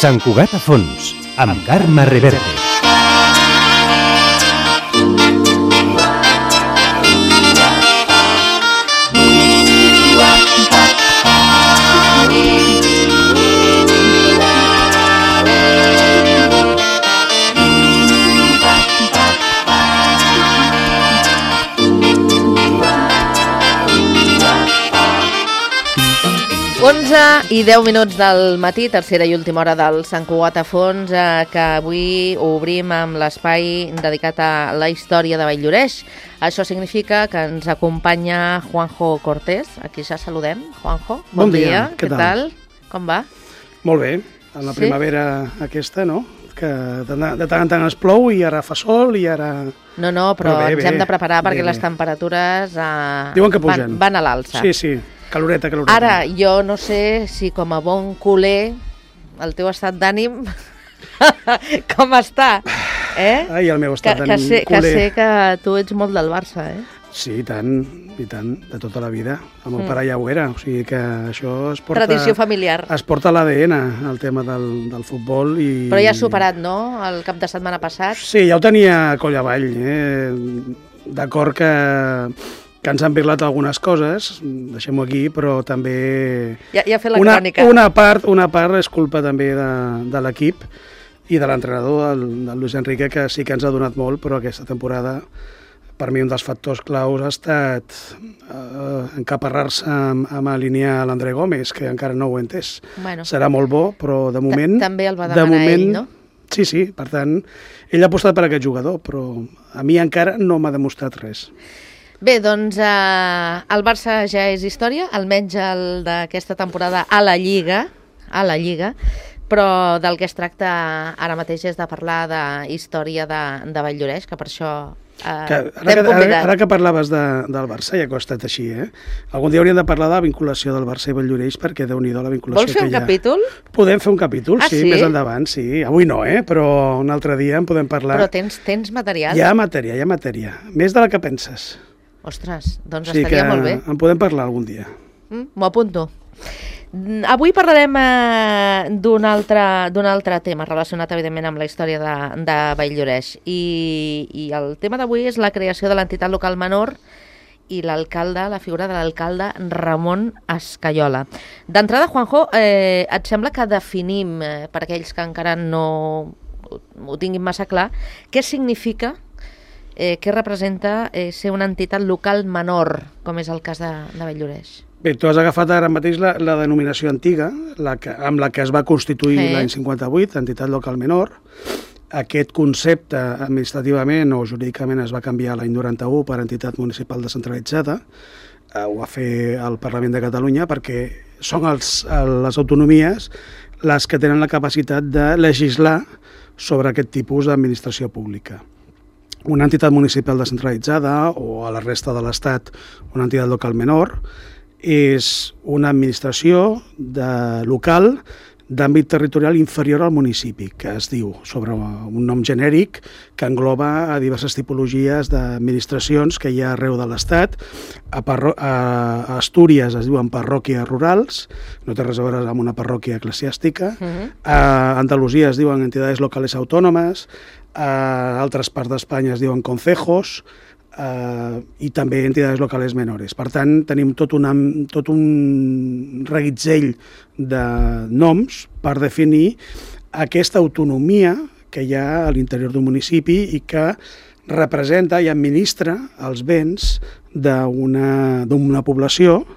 Sant Cugat a fons, amb Carme Reverte. I 10 minuts del matí, tercera i última hora del Sant Cugat a fons, que avui obrim amb l'espai dedicat a la història de Vall-lloreix. Això significa que ens acompanya Juanjo Cortés. Aquí ja saludem. Juanjo, bon dia. Què tal? Com va? Molt bé. En la primavera aquesta, no? Que de tant en tant es plou i ara fa sol i ara... No, però ens hem de preparar perquè les temperatures diuen que pugen. Van a l'alça. Sí. Caloreta. Ara, jo no sé si com a bon culer el teu estat d'ànim com està, Ai, el meu estat d'ànim culer. Que sé que tu ets molt del Barça, Sí, i tant, de tota la vida. El meu pare ja ho era, o sigui que això es porta... Tradició familiar. Es porta a l'ADN, el tema del futbol i... Però ja has superat, no?, el cap de setmana passat. Sí, ja ho tenia coll avall, D'acord que ens han parlat algunes coses, deixem-ho aquí, però també... Ja ha fet la crònica. Una part és culpa també de l'equip i de l'entrenador, del Luis Enrique, que sí que ens ha donat molt, però aquesta temporada, per mi, un dels factors claus ha estat encaparrar-se amb alinear l'André Gómez, que encara no ho he entès. Bueno, serà molt bo, però de moment... També el va demanar ell, no? Sí, per tant, ell ha apostat per aquest jugador, però a mi encara no m'ha demostrat res. Bé, doncs el Barça ja és història, almenys el d'aquesta temporada a la Lliga, però del que es tracta ara mateix és de parlar de història de Vall-lloreix, que per això t'hem convidat. Ara que parlaves del Barça, ja que ha estat així, algun dia hauríem de parlar de la vinculació del Barça i Vall-lloreix, perquè Déu-n'hi-do la vinculació que hi ha. Vols fer un capítol? Podem fer un capítol, sí, més endavant, sí. Avui no, però un altre dia en podem parlar. Però tens material? Hi ha matèria, més de la que penses. Ostres, doncs estaria molt bé. En podem parlar algun dia. M'ho apunto. Avui parlarem d'un altre tema relacionat, evidentment, amb la història de Vall-lloreix. I el tema d'avui és la creació de l'entitat local menor i la figura de l'alcalde Ramon Escaiola. D'entrada, Juanjo, et sembla que definim, per aquells que encara no ho tinguin massa clar, què significa, què representa ser una entitat local menor, com és el cas de Vall-lloreix? Bé, tu has agafat ara mateix la denominació antiga, amb la que es va constituir l'any 58, entitat local menor. Aquest concepte administrativament o jurídicament es va canviar l'any 91 per entitat municipal descentralitzada. Ho va fer el Parlament de Catalunya perquè són les autonomies les que tenen la capacitat de legislar sobre aquest tipus d'administració pública. Una entitat municipal descentralitzada o a la resta de l'Estat una entitat local menor és una administració local d'àmbit territorial inferior al municipi, que es diu sobre un nom genèric que engloba a diverses tipologies d'administracions que hi ha arreu de l'Estat. A Astúries es diuen parròquies rurals, no té res a veure amb una parròquia eclesiàstica. A Andalusia es diuen entidades locales autònomes, a altres parts d'Espanya es diuen concejos, i també entitats locals menores. Per tant, tenim tot un reguitzell de noms per definir aquesta autonomia que hi ha a l'interior d'un municipi i que representa i administra els béns d'una població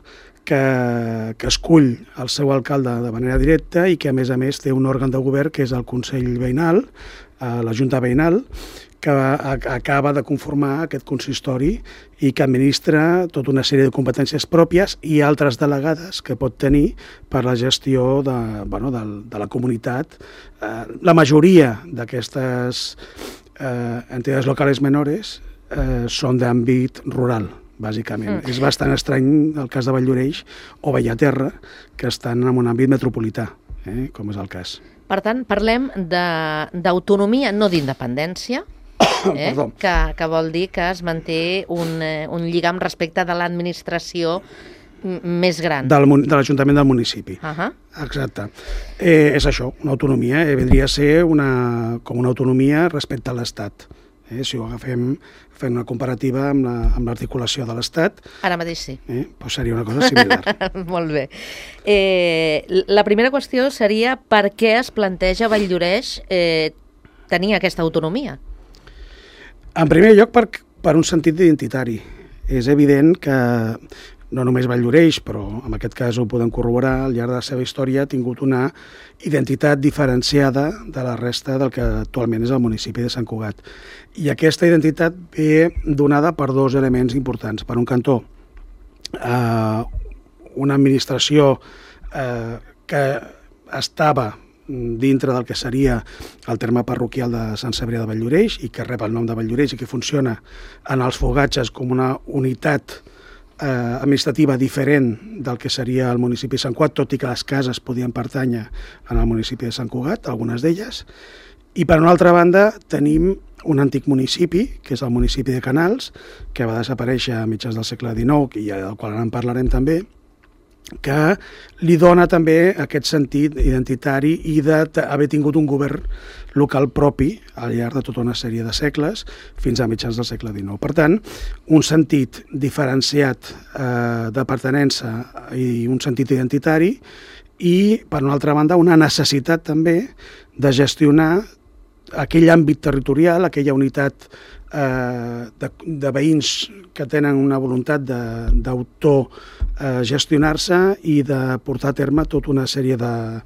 que escull el seu alcalde de manera directa i que, a més té un òrgan de govern que és el Consell Veïnal, la Junta Veïnal, que acaba de conformar aquest consistori i que administra tota una sèrie de competències pròpies i altres delegades que pot tenir per la gestió de la comunitat. La majoria d'aquestes entitats locals menores són d'àmbit rural, bàsicament. És bastant estrany el cas de Vall-lloreix o Bellaterra, que estan en un àmbit metropolità, com és el cas. Per tant, parlem d'autonomia, no d'independència, que vol dir que es manté un lligam respecte de l'administració més gran. De l'Ajuntament del municipi. Exacte. És això, una autonomia. Vendria a ser com una autonomia respecte a l'Estat. Si ho agafem fent una comparativa amb l'articulació de l'Estat... Ara mateix sí. Doncs seria una cosa similar. Molt bé. La primera qüestió seria per què es planteja Valldoreix tenir aquesta autonomia? En primer lloc, per un sentit identitari. És evident que no només Valldoreix, però en aquest cas ho podem corroborar, al llarg de la seva història ha tingut una identitat diferenciada de la resta del que actualment és el municipi de Sant Cugat. I aquesta identitat ve donada per dos elements importants. Per un cantó, una administració que estava dintre del que seria el terme parroquial de Sant Cebrià de Valldoreix i que rep el nom de Valldoreix i que funciona en els fogatges com una unitat administrativa diferent del que seria el municipi de Sant Cugat, tot i que les cases podien pertànyer al municipi de Sant Cugat, algunes d'elles. I per una altra banda tenim un antic municipi, que és el municipi de Canals, que va desaparèixer a mitjans del segle XIX i del qual ara en parlarem també, que li dona també aquest sentit identitari i d'haver tingut un govern local propi al llarg de tota una sèrie de segles fins a mitjans del segle XIX. Per tant, un sentit diferenciat de pertinença i un sentit identitari i, per una altra banda, una necessitat també de gestionar aquell àmbit territorial, aquella unitat de veïns que tenen una voluntat d'autogestionar-se i de portar a terme tota una sèrie de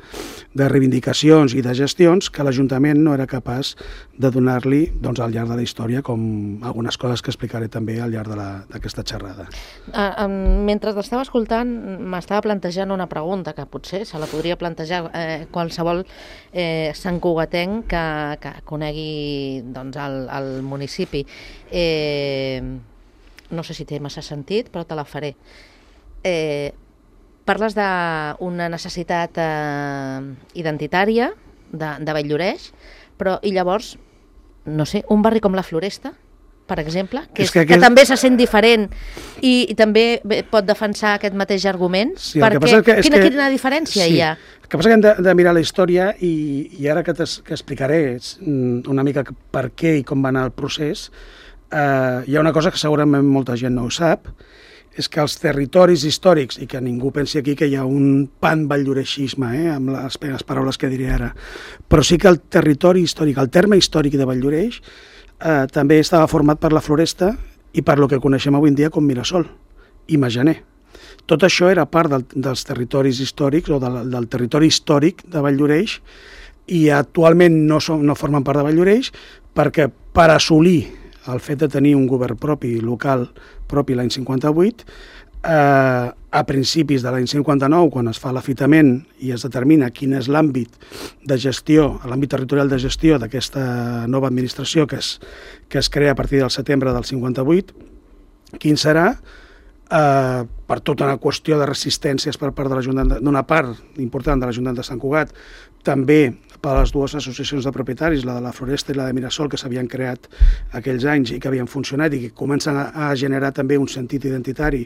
reivindicacions i de gestions que l'Ajuntament no era capaç de donar-li al llarg de la història, com algunes coses que explicaré també al llarg d'aquesta xerrada. Mentre t'estava escoltant, m'estava plantejant una pregunta que potser se la podria plantejar qualsevol santcugatenc que conegui el municipi. No sé si té massa sentit, però te la faré. Parles d'una necessitat identitària de Valldoreix, però i llavors, no sé, un barri com la Floresta, per exemple, que també se sent diferent i també pot defensar aquest mateix argument, perquè quina diferència hi ha? El que passa que hem de mirar la història i ara que explicaré una mica per què i com va anar el procés, hi ha una cosa que segurament molta gent no ho sap, és que els territoris històrics, i que ningú pensi aquí que hi ha un pan-valldoreixisme, amb les paraules que diré ara, però sí que el territori històric, el terme històric de Valldoreix, també estava format per la Floresta i per lo que coneixem avui en dia com Mirasol i Majaner. Tot això era part dels territoris històrics o del territori històric de Valldoreix i actualment no formen part de Valldoreix perquè per assolir el fet de tenir un govern propi, local propi l'any 58, a principis de l'any 59, quan es fa l'afitament i es determina quin és l'àmbit de gestió, l'àmbit territorial de gestió d'aquesta nova administració que es crea a partir del setembre del 58, quin serà, per tota una qüestió de resistències per part d'una part important de l'Ajuntament de Sant Cugat, també per les dues associacions de propietaris, la de la Floresta i la de Mirasol, que s'havien creat aquells anys i que havien funcionat i que comencen a generar també un sentit identitari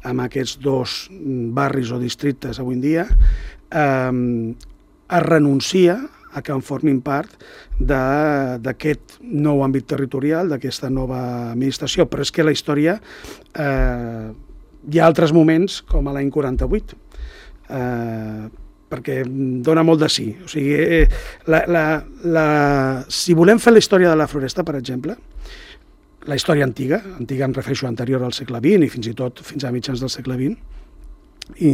amb aquests dos barris o districtes avui en dia, es renuncia a que en formin part d'aquest nou àmbit territorial, d'aquesta nova administració. Però és que la història hi ha altres moments, com a l'any 48, perquè dona molt de sí. O sigui, si volem fer la història de la Floresta, per exemple, la història antiga em refereixo anterior al segle XX i fins i tot fins a mitjans del segle XX, i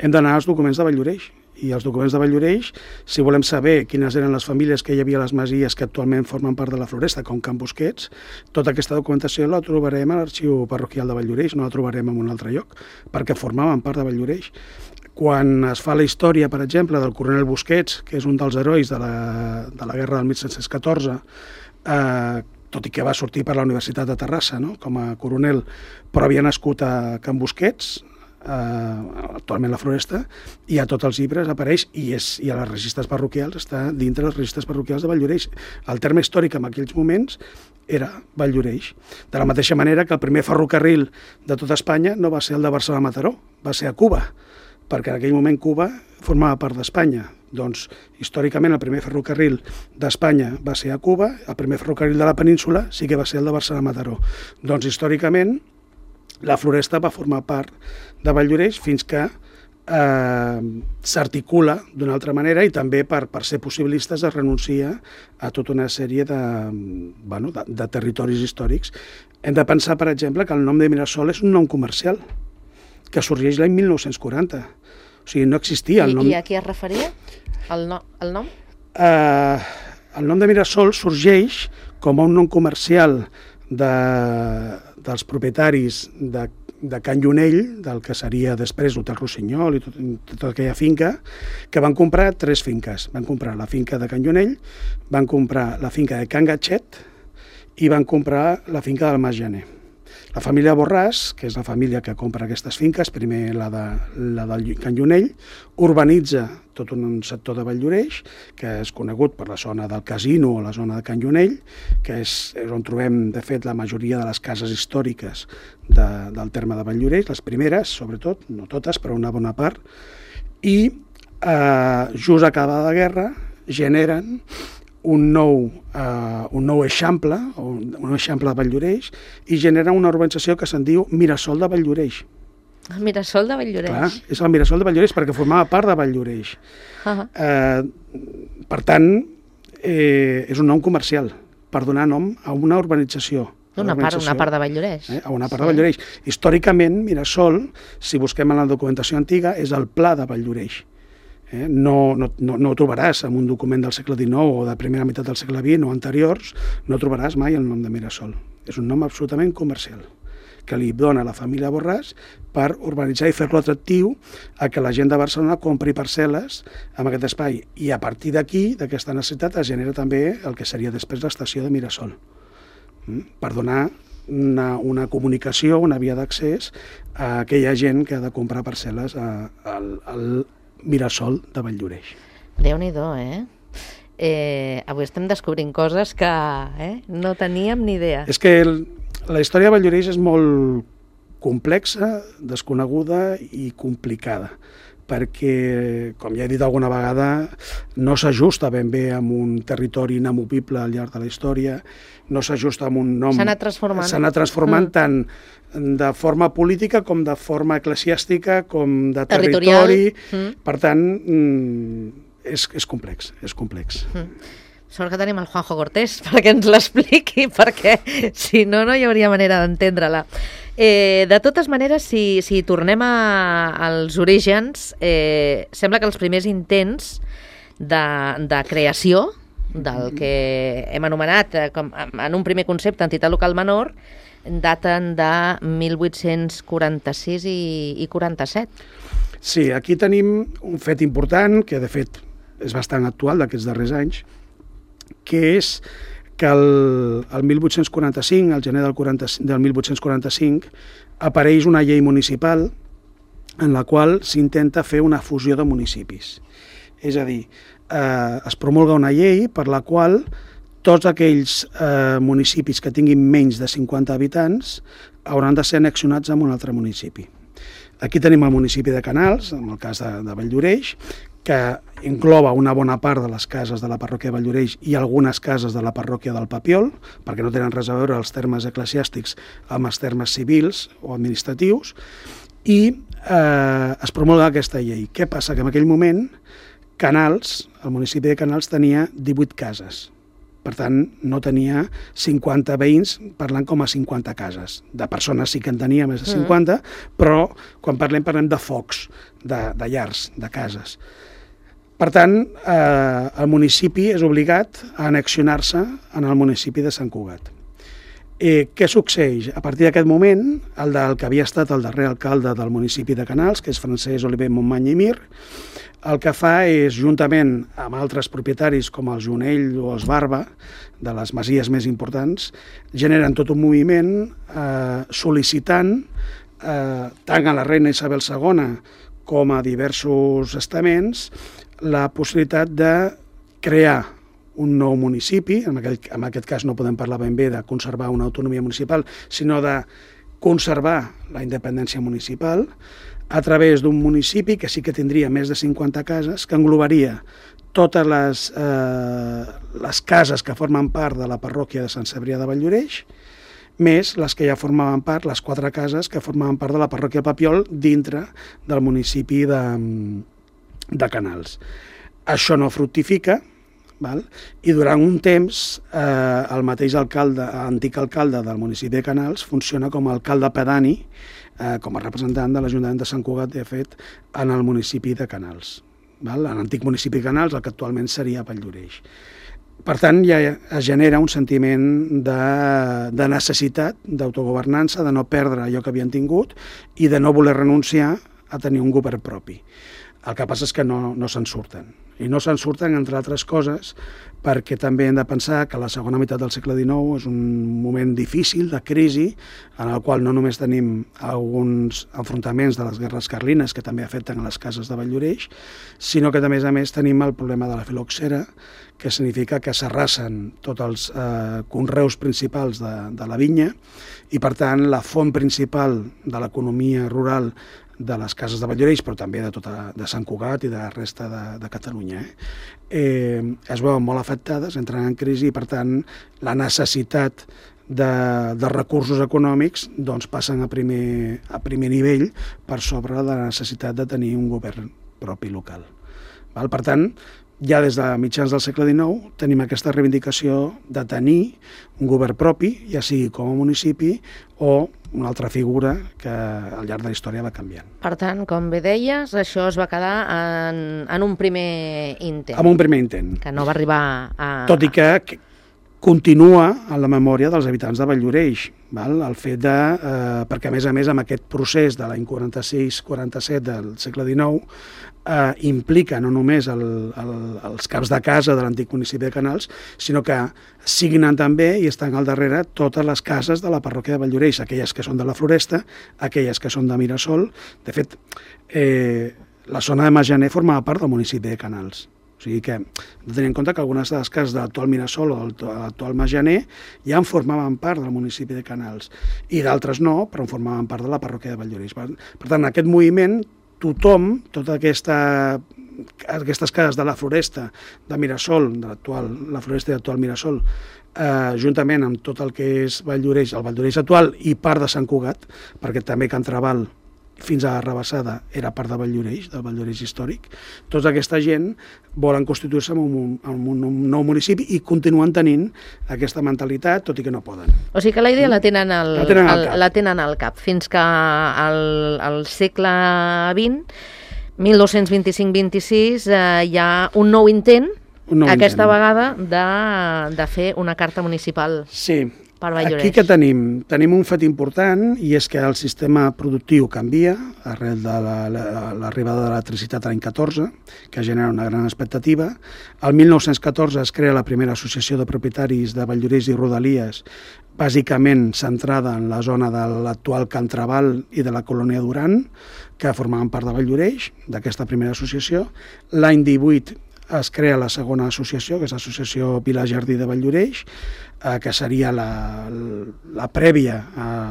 hem d'anar als documents de Valldoreix. I els documents de Valldoreix, si volem saber quines eren les famílies que hi havia a les masies que actualment formen part de la Floresta, com Can Busquets, tota aquesta documentació la trobarem a l'arxiu parroquial de Valldoreix, no la trobarem en un altre lloc, perquè formaven part de Valldoreix. Quan es fa la història, per exemple, del coronel Busquets, que és un dels herois de la guerra del 1714, tot i que va sortir per la Universitat de Terrassa, no?, com a coronel, però havia nascut a Can Busquets, actualment la Floresta, i a tots els llibres apareix, i a les registres parroquials, està dintre les registres parroquials de Valldoreix. El terme històric en aquells moments era Valldoreix. De la mateixa manera que el primer ferrocarril de tota Espanya no va ser el de Barcelona-Mataró, va ser a Cuba, perquè en aquell moment Cuba formava part d'Espanya. Doncs, històricament, el primer ferrocarril d'Espanya va ser a Cuba, el primer ferrocarril de la península sí que va ser el de Barcelona-Mataró. Doncs, històricament, la Floresta va formar part de Valldoreix fins que s'articula d'una altra manera, i també per ser possibilistes es renuncia a tota una sèrie de territoris històrics. Hem de pensar, per exemple, que el nom de Mirasol és un nom comercial que sorgeix l'any 1940. O sigui, no existia el nom... I a qui es referia, el nom? El nom de Mirasol sorgeix com a un nom comercial dels propietaris de Can Llunell, del que seria després l'Hotel Rossinyol i tota aquella finca, que van comprar 3 finques. Van comprar la finca de Can Llunell, van comprar la finca de Can Gatxet i van comprar la finca del Mas Gener. La família Borràs, que és la família que compra aquestes finques, primer la del Can Llunell, urbanitza tot un sector de Valldoreix, que és conegut per la zona del Casino o la zona de Can Llunell, que és on trobem, de fet, la majoria de les cases històriques del terme de Valldoreix, les primeres, sobretot, no totes, però una bona part, i just acabada la guerra generen un nou eixample, un eixample de Valldoreix, i genera una urbanització que se'n diu Mirasol de Valldoreix. El Mirasol de Valldoreix. Clar, és el Mirasol de Valldoreix perquè formava part de Valldoreix. Per tant, és un nom comercial per donar nom a una urbanització. Una part de Valldoreix. A una part de Valldoreix. Històricament, Mirasol, si busquem en la documentació antiga, és el Pla de Valldoreix. No ho trobaràs en un document del segle XIX o de primera meitat del segle XX o anteriors, no trobaràs mai el nom de Mirasol. És un nom absolutament comercial que li dona la família Borràs per urbanitzar i fer-lo atractiu a que la gent de Barcelona compri parcel·les en aquest espai. I a partir d'aquí, d'aquesta necessitat, es genera també el que seria després l'estació de Mirasol, per donar una comunicació, una via d'accés a aquella gent que ha de comprar parcel·les al Mirasol de Valldoreix. Déu-n'hi-do, avui estem descobrint coses que no teníem ni idea. És que la història de Valldoreix és molt complexa, desconeguda i complicada, perquè, com ja he dit alguna vegada, no s'ajusta ben bé amb un territori inamovible al llarg de la història, no s'ajusta amb un nom... S'ha anat transformant. S'ha anat transformant tant de forma política com de forma eclesiàstica, com de territori. Per tant, és complex, és complex. Sort que tenim el Juanjo Cortés perquè ens l'expliqui, perquè si no, no hi hauria manera d'entendre-la. De totes maneres, si tornem als orígens, sembla que els primers intents de creació del que hem anomenat en un primer concepte entitat local menor daten de 1846 i 47. Sí, aquí tenim un fet important, que de fet és bastant actual d'aquests darrers anys, que és que el 1845, al gener del 1845, apareix una llei municipal en la qual s'intenta fer una fusió de municipis. És a dir, es promulga una llei per la qual tots aquells municipis que tinguin menys de 50 habitants hauran de ser annexionats a un altre municipi. Aquí tenim el municipi de Canals, en el cas de Valldoreix, que engloba una bona part de les cases de la parròquia de Valldoreix i algunes cases de la parròquia del Papiol, perquè no tenen res a veure els termes eclesiàstics amb els termes civils o administratius, i es promulga aquesta llei. Què passa? Que en aquell moment Canals, el municipi de Canals, tenia 18 cases. Per tant, no tenia 50 veïns parlant com a 50 cases. De persones sí que en tenia més de 50, però quan parlem de focs, de llars, de cases. Per tant, el municipi és obligat a annexionar-se en el municipi de Sant Cugat. Què succeeix? A partir d'aquest moment, el que havia estat el darrer alcalde del municipi de Canals, que és Francesc Oliver Montmany i Mir, el que fa és, juntament amb altres propietaris com el Jonell o els Barba, de les masies més importants, generen tot un moviment sol·licitant tant a la reina Isabel II com a diversos estaments la possibilitat de crear un nou municipi, en aquest cas no podem parlar ben bé de conservar una autonomia municipal, sinó de conservar la independència municipal a través d'un municipi que sí que tindria més de 50 cases, que englobaria totes les cases que formen part de la parròquia de Sant Cebrià de Valldoreix, més les que ja formaven part, les 4 cases que formaven part de la parròquia Papiol dintre del municipi de Canals. Això no fructifica, val? I durant un temps el mateix antic alcalde del municipi de Canals funciona com a alcalde pedani, com a representant de l'Ajuntament de Sant Cugat, de fet, en el municipi de Canals. L'antic municipi de Canals, el que actualment seria Valldoreix. Per tant, ja es genera un sentiment de necessitat, d'autogovernança, de no perdre allò que havien tingut i de no voler renunciar a tenir un govern propi. El que passa és que no se'n surten. I no se'n surten, entre altres coses, perquè també hem de pensar que la segona meitat del segle XIX és un moment difícil, de crisi, en el qual no només tenim alguns enfrontaments de les guerres carlines, que també afecten a les cases de Valldoreix, sinó que, a més, tenim el problema de la filoxera, que significa que s'arrasen tots els conreus principals de la vinya i, per tant, la font principal de l'economia rural de les cases de Valldoreix, però també de Sant Cugat i de la resta de Catalunya, es veuen molt afectades, entren en crisi i, per tant, la necessitat de recursos econòmics passen a primer nivell per sobre de la necessitat de tenir un govern propi local. Per tant, ja des de mitjans del segle XIX tenim aquesta reivindicació de tenir un govern propi, ja sigui com a municipi o una altra figura que al llarg de la història va canviant. Per tant, com bé deies, això es va quedar en un primer intent. En un primer intent. Que no va arribar a... Tot i que continua en la memòria dels habitants de Valldoreix, el fet de... perquè, a més, amb aquest procés de l'any 46-47 del segle XIX, implica no només els caps de casa de l'antic municipi de Canals, sinó que signen també i estan al darrere totes les cases de la parròquia de Valldoreix, aquelles que són de la Floresta, aquelles que són de Mirasol. De fet, la zona de Majaner formava part del municipi de Canals. O sigui que hem de tenir en compte que algunes de les cases de l'actual Mirasol o de l'actual Majaner ja en formaven part del municipi de Canals i d'altres no, però en formaven part de la parròquia de Valldoreix. Per tant, aquest moviment, tothom, totes aquestes cases de la Floresta, de Mirasol, la Floresta i l'actual Mirasol, juntament amb tot el que és Valldoreix, el Valldoreix actual i part de Sant Cugat, perquè també Can Trabal fins a Rabassada era part de Valldoreix, del Valldoreix històric, tota aquesta gent volen constituir-se en un nou municipi i continuen tenint aquesta mentalitat, tot i que no poden. O sigui que la idea la tenen al cap, fins que al segle XX, 1225-26, hi ha un nou intent, aquesta vegada, de fer una carta municipal. Sí. Aquí que tenim un fet important i és que el sistema productiu canvia arrel de l'arribada de l'electricitat l'any 14, que genera una gran expectativa. El 1914 es crea la primera associació de propietaris de Valldoreix i Rodalies, bàsicament centrada en la zona de l'actual Can Trabal i de la colònia Duran, que formaven part de Valldoreix, d'aquesta primera associació. L'any 18 es crea la segona associació, que és l'Associació Vila Jardí de Valldoreix, que seria la prèvia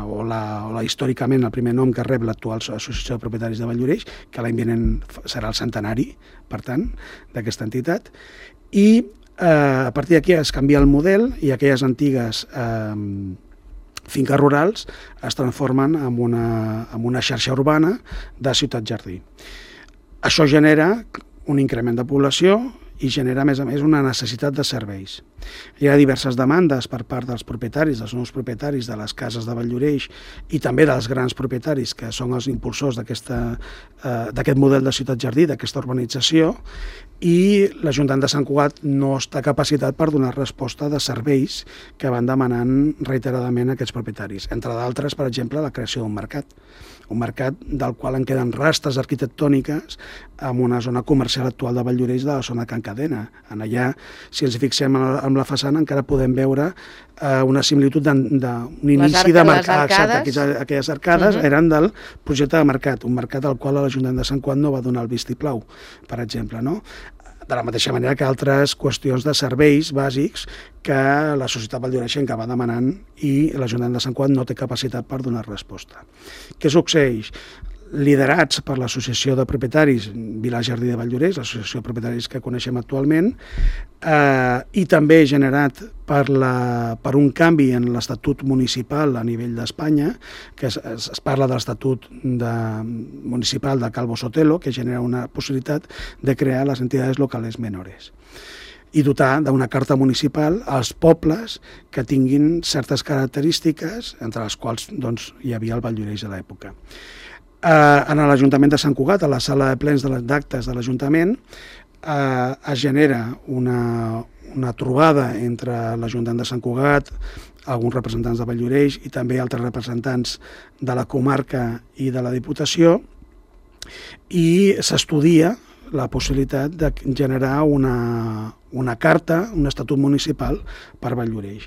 o històricament el primer nom que rep l'actual Associació de Propietaris de Valldoreix, que l'any vinent serà el centenari, per tant, d'aquesta entitat. I a partir d'aquí es canvia el model i aquelles antigues finques rurals es transformen en una xarxa urbana de ciutat-jardí. Això genera un increment de població i genera, a més, una necessitat de serveis. Hi ha diverses demandes per part dels propietaris, dels nous propietaris de les cases de Valldoreix i també dels grans propietaris que són els impulsors d'aquest model de ciutat-jardí, d'aquesta urbanització, i l'Ajuntament de Sant Cugat no està capacitat per donar resposta de serveis que van demanant reiteradament aquests propietaris. Entre d'altres, per exemple, la creació d'un mercat del qual en queden restes arquitectòniques en una zona comercial actual de Valldoreix, de la zona Can cadena. En allà, si ens fixem en la façana, encara podem veure una similitud d'un inici de mercat. Aquelles arcades eren del projecte de mercat, un mercat al qual l'Ajuntament de Sant Cugat no va donar el vistiplau, per exemple, no? De la mateixa manera que altres qüestions de serveis bàsics que la societat valldoreixenca va demanant i l'Ajuntament de Sant Cugat no té capacitat per donar resposta. Què succeeix? Liderats per l'Associació de Propietaris Vila Jardí de Valldoreix, l'associació de propietaris que coneixem actualment, i també generat per un canvi en l'Estatut municipal a nivell d'Espanya, que es parla de l'Estatut municipal de Calvo Sotelo, que genera una possibilitat de crear les entitats locales menores i dotar d'una carta municipal als pobles que tinguin certes característiques, entre les quals hi havia el Valldoreix de l'època. En l'Ajuntament de Sant Cugat, a la sala de plens d'actes de l'Ajuntament, es genera una trobada entre l'Ajuntament de Sant Cugat, alguns representants de Valldoreix i també altres representants de la comarca i de la Diputació, i s'estudia la possibilitat de generar una carta, un estatut municipal per Valldoreix.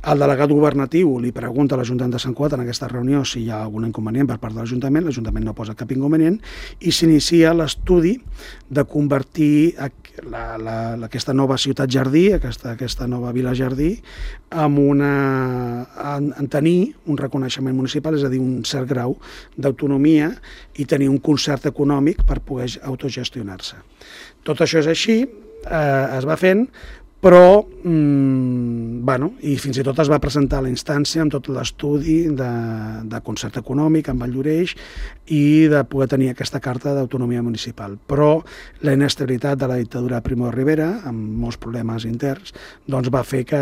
El delegat governatiu li pregunta a l'Ajuntament de Sant Cugat en aquesta reunió si hi ha algun inconvenient per part de l'Ajuntament no posa cap inconvenient, i s'inicia l'estudi de convertir aquesta nova ciutat jardí, aquesta nova vila jardí, en tenir un reconeixement municipal, és a dir, un cert grau d'autonomia i tenir un concert econòmic per poder autogestionar-se. Tot això és així, es va fent, però i fins i tot es va presentar la instància amb tot l'estudi de concert econòmic amb Valldoreix i de poder tenir aquesta carta d'autonomia municipal. Però la inestabilitat de la dictadura de Primo de Rivera, amb molts problemes interns, doncs va fer que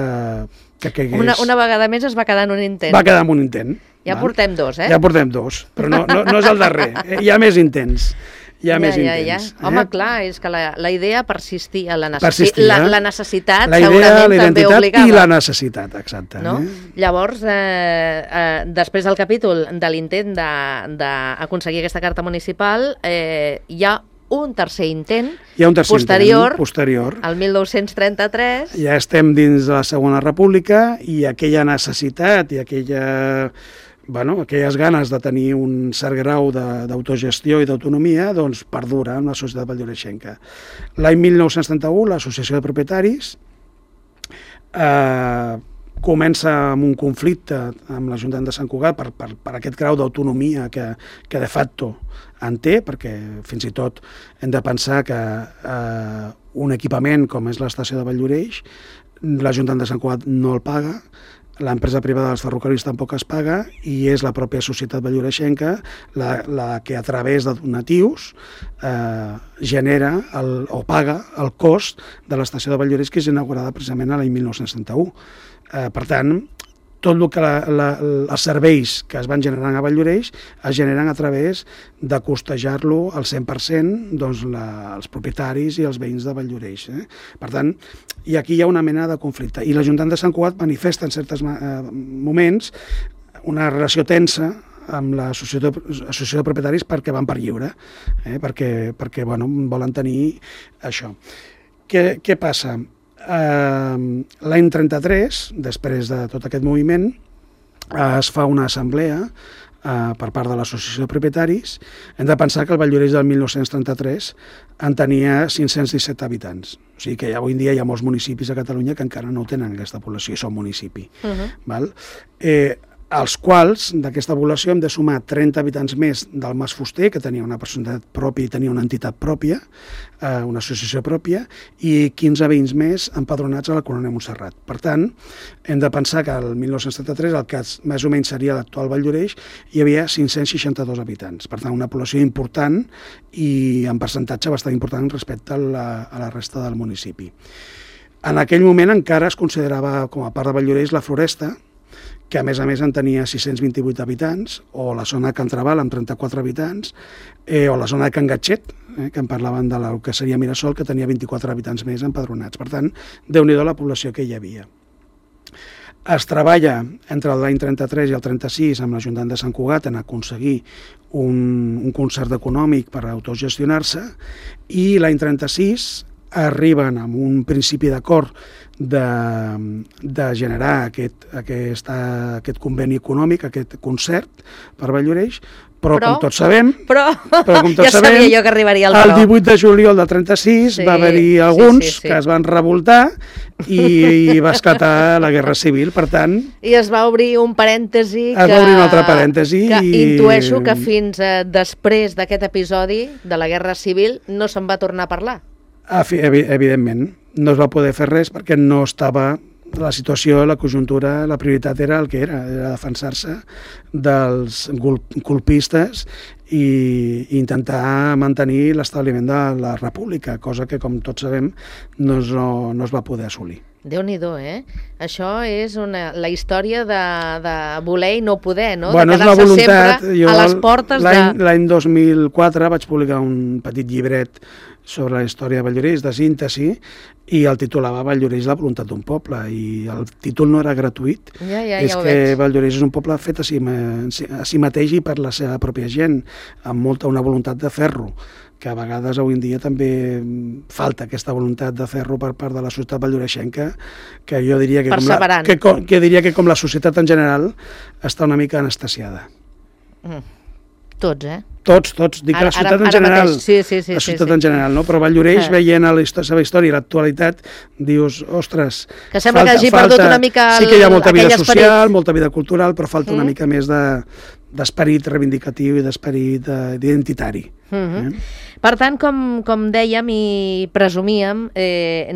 caigués... Una vegada més es va quedar en un intent. Va quedar en un intent. Ja portem dos, Ja portem dos, però no és el darrer, hi ha més intents. Hi ha més intents. Home, clar, és que la idea persistia, la necessitat la idea, segurament també obligava. I la necessitat, exacte. No? Llavors, després del capítol de l'intent d'aconseguir aquesta carta municipal, hi ha un tercer intent posterior, al 1933. Ja estem dins de la Segona República i aquella necessitat i aquelles ganes de tenir un cert grau d'autogestió i d'autonomia, doncs perdura en la societat valldoreixenca. L'any 1931, l'Associació de Propietaris comença amb un conflicte amb l'Ajuntament de Sant Cugat per aquest grau d'autonomia que de facto en té, perquè fins i tot hem de pensar que un equipament com és l'estació de Valldoreix, l'Ajuntament de Sant Cugat no el paga, l'empresa privada dels ferrocarrils tampoc es paga i és la pròpia societat valldoreixenca la que a través de donatius genera o paga el cost de l'estació de Valldoreix, que és inaugurada precisament l'any 1971. Per tant, tot el que els serveis que es van generant a Valldoreix es generen a través de costejar-lo al 100% els propietaris i els veïns de Valldoreix. Per tant, i aquí hi ha una mena de conflicte. I l'Ajuntament de Sant Cugat manifesta en certs moments una relació tensa amb l'associació de propietaris perquè van per lliure, perquè volen tenir això. Què passa? L'any 33, després de tot aquest moviment, es fa una assemblea per part de l'Associació de Propietaris. Hem de pensar que el Valldoreix del 1933 en tenia 517 habitants. O sigui que avui en dia hi ha molts municipis a Catalunya que encara no tenen aquesta població i són municipi. Als quals, d'aquesta població, hem de sumar 30 habitants més del Mas Fuster, que tenia una personalitat pròpia i tenia una entitat pròpia, una associació pròpia, i 15 veïns més empadronats a la Corona de Montserrat. Per tant, hem de pensar que el 1973, el que més o menys seria l'actual Valldoreix, hi havia 562 habitants. Per tant, una població important i en percentatge bastant important respecte a la resta del municipi. En aquell moment encara es considerava com a part de Valldoreix la Floresta, que a més en tenia 628 habitants, o la zona de Can Trabal amb 34 habitants, o la zona de Can Gatxet, que en parlaven del que seria Mirasol, que tenia 24 habitants més empadronats. Per tant, déu-n'hi-do la població que hi havia. Es treballa entre l'any 33 i el 36 amb l'Ajuntament de Sant Cugat en aconseguir un concert econòmic per autogestionar-se, i l'any 36 arriben amb un principi d'acord de generar aquest conveni econòmic, aquest concert per Valldoreix, però com tots sabem, ja sabia jo que arribaria el 18 de juliol del 36 va haver-hi alguns que es van revoltar i va esclatar la Guerra Civil, per tant... I es va obrir un parèntesi es va obrir un altre parèntesi que intueixo que fins després d'aquest episodi de la Guerra Civil no se'n va tornar a parlar. Evidentment, no es va poder fer res perquè no estava la situació, la conjuntura, la prioritat era el que era defensar-se dels colpistes i intentar mantenir l'establiment de la república, cosa que, com tots sabem, no es va poder assolir. Déu-n'hi-do, Això és la història de voler i no poder, no? Bueno, de quedar-se sempre a les portes de... L'any 2004 vaig publicar un petit llibret sobre la història de Valldoreix, de síntesi, i el titulava Valldoreix, la voluntat d'un poble, i el títol no era gratuït. És que Valldoreix és un poble fet a si mateix i per la seva pròpia gent, amb una voluntat de ferro, que a vegades avui en dia també falta aquesta voluntat de fer-ho per part de la societat valldoreixenca, que jo diria que com la societat en general està una mica anestesiada. Tots, Tots, dic la societat en general. Sí. La societat en general, no? Però Valldoreix, veient la seva història i l'actualitat, dius, ostres... Que sembla que hagi perdut una mica sí que hi ha molta vida social, molta vida cultural, però falta una mica més d'esperit reivindicatiu i d'esperit identitari. Per tant, com dèiem i presumíem,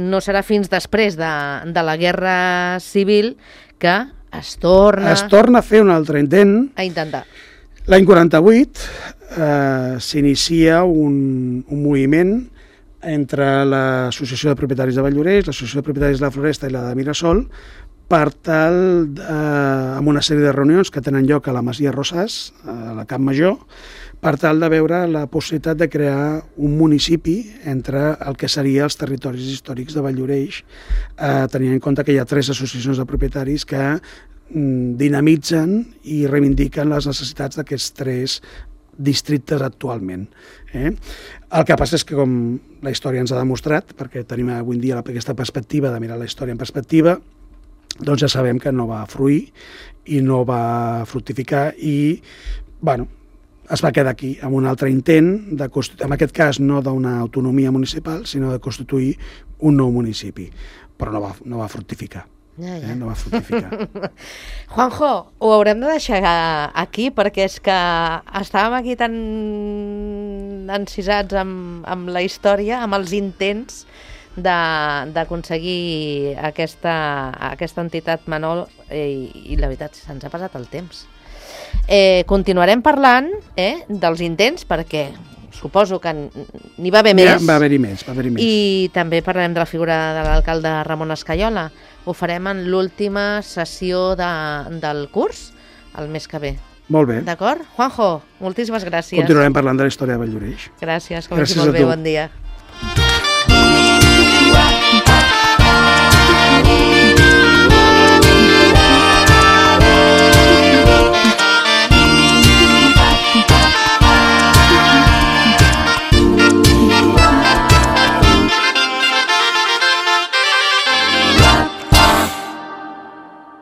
no serà fins després de la Guerra Civil que es torna a fer un altre intent. A intentar. L'any 48 s'inicia un moviment entre l'Associació de Propietaris de Valldoreix, l'Associació de Propietaris de la Floresta i la de Mirasol, per tal, amb una sèrie de reunions que tenen lloc a la Masia Rosàs, a la Camp Major, per tal de veure la possibilitat de crear un municipi entre el que serien els territoris històrics de Valldoreix, tenint en compte que hi ha 3 associacions de propietaris que dinamitzen i reivindiquen les necessitats d'aquests 3 districtes actualment. El que passa és que, com la història ens ha demostrat, perquè tenim avui en dia aquesta perspectiva de mirar la història en perspectiva, doncs ja sabem que no va fruir i no va fructificar i, bueno, es va quedar aquí amb un altre intent, en aquest cas no d'una autonomia municipal, sinó de constituir un nou municipi, però no va fructificar. No va fructificar. Juanjo, ho haurem de deixar aquí perquè és que estàvem aquí tan encisats amb la història, amb els intents d'aconseguir aquesta entitat menor i la veritat se'ns ha passat el temps. Continuarem parlant dels intents perquè suposo que n'hi va haver més. Va haver-hi més. I també parlarem de la figura de l'alcalde Ramon Escaiola. Ho farem en l'última sessió del curs, el mes que ve. Molt bé. D'acord? Juanjo, moltíssimes gràcies. Continuarem parlant de la història de Valldoreix. Gràcies, que vagi molt bé, bon dia.